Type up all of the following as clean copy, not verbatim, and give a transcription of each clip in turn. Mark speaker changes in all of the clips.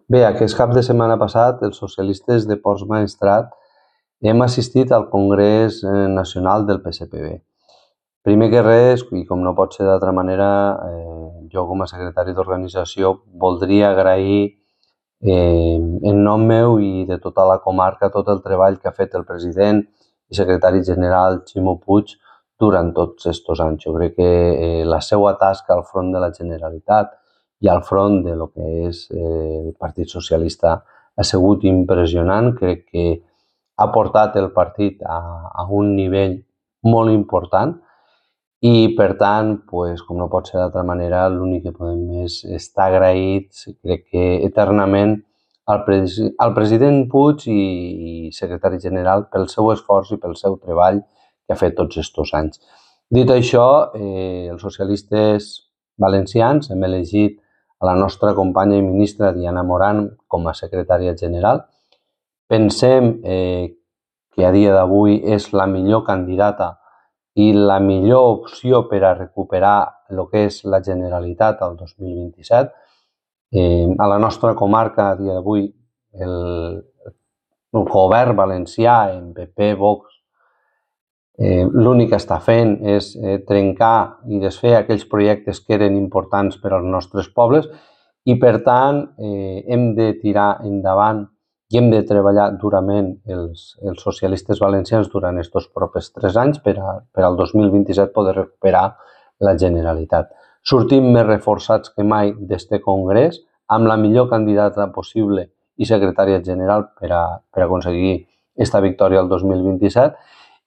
Speaker 1: Bé, aquest cap de setmana passat, els socialistes de Ports Maestrat hem assistit al Congrés Nacional del PSPB. Primer que res, i com no pot ser d'altra manera, jo com a secretari d'organització voldria agrair en nom meu i de tota la comarca tot el treball que ha fet el president i secretari general Ximo Puig durant tots aquests anys. Jo crec que la seva tasca al front de la Generalitat i al front de lo que és el Partit Socialista ha sigut impressionant. Crec que ha portat el partit a un nivell molt important i, per tant, com no pot ser d'altra manera, l'únic que podem és estar agraïts, crec que eternament, al president Puig i secretari general pel seu esforç i pel seu treball que ha fet tots aquests anys. Dit això, els socialistes valencians hem elegit a la nostra companya i ministra Diana Morant com a secretària general. Pensem que a dia d'avui és la millor candidata i la millor opció per a recuperar el que és la Generalitat al 2027. A la nostra comarca, a dia d'avui, el govern valencià, en PP, Vox, l'únic que està fent és trencar i desfer aquells projectes que eren importants per als nostres pobles i, per tant, hem de tirar endavant i hem de treballar durament els socialistes valencians durant aquests propers 3 anys per al 2027 poder recuperar la Generalitat. Sortim més reforçats que mai d'este congrés, amb la millor candidata possible i secretària general per a aconseguir aquesta victòria al 2027.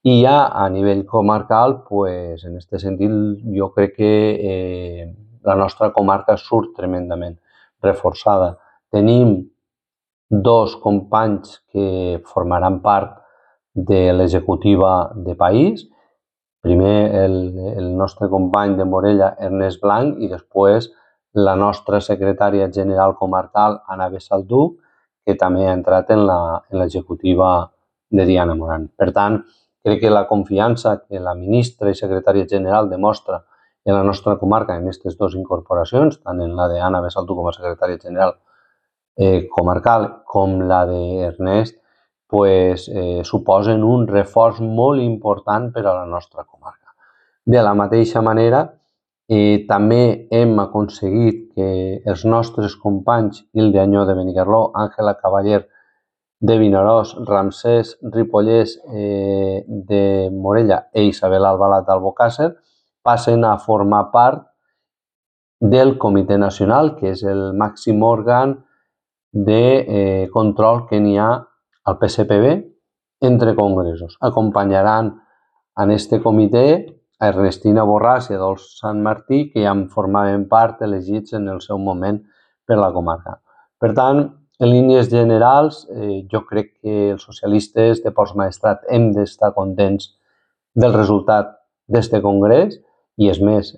Speaker 1: I ja a nivell comarcal, en aquest sentit, jo crec que la nostra comarca surt tremendament reforçada. Tenim 2 companys que formaran part de l'executiva de país. Primer el nostre company de Morella, Ernest Blanc, i després la nostra secretària general comarcal, Anna Bessalduch, que també ha entrat en l'executiva de Diana Morant. Per tant, crec que la confiança que la ministra i secretària general demostra en la nostra comarca en aquestes 2 incorporacions, tant en la d'Anna Bessalduch com a secretària general comarcal com la d'Ernest, suposen un reforç molt important per a la nostra comarca. De la mateixa manera, també hem aconseguit que els nostres companys Hilde Añó de Benicarló, Àngela Cavaller de Vinaròs, Ramsès Ripollès de Morella i Isabel Albalat d'Albocàsser passen a formar part del Comitè Nacional, que és el màxim òrgan de control que n'hi ha al PSPB entre congressos. Acompanyaran en aquest comitè a Ernestina Borràs i a Dols Sant Martí, que ja en formaven part elegits en el seu moment per la comarca. Per tant, en línies generals, jo crec que els socialistes de Ports Maestrat hem d'estar contents del resultat d'aquest congrés i, és més,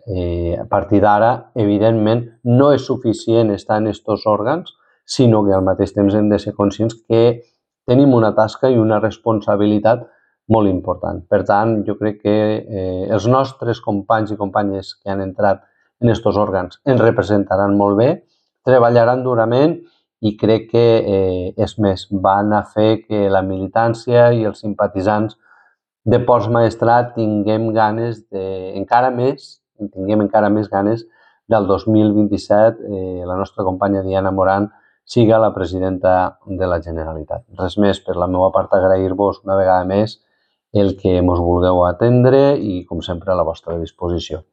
Speaker 1: a partir d'ara, evidentment, no és suficient estar en aquests òrgans, sinó que al mateix temps hem de ser conscients que tenim una tasca i una responsabilitat molt important. Per tant, jo crec que els nostres companys i companyes que han entrat en aquests òrgans ens representaran molt bé, treballaran durament i crec que, és més, van a fer que la militància i els simpatitzants de Ports Maestrat tinguem encara més ganes del 2027 la nostra companya Diana Morant siga la presidenta de la Generalitat. Res més per la meva part, agrair-vos una vegada més el que ens vulgueu atendre i, com sempre, a la vostra disposició.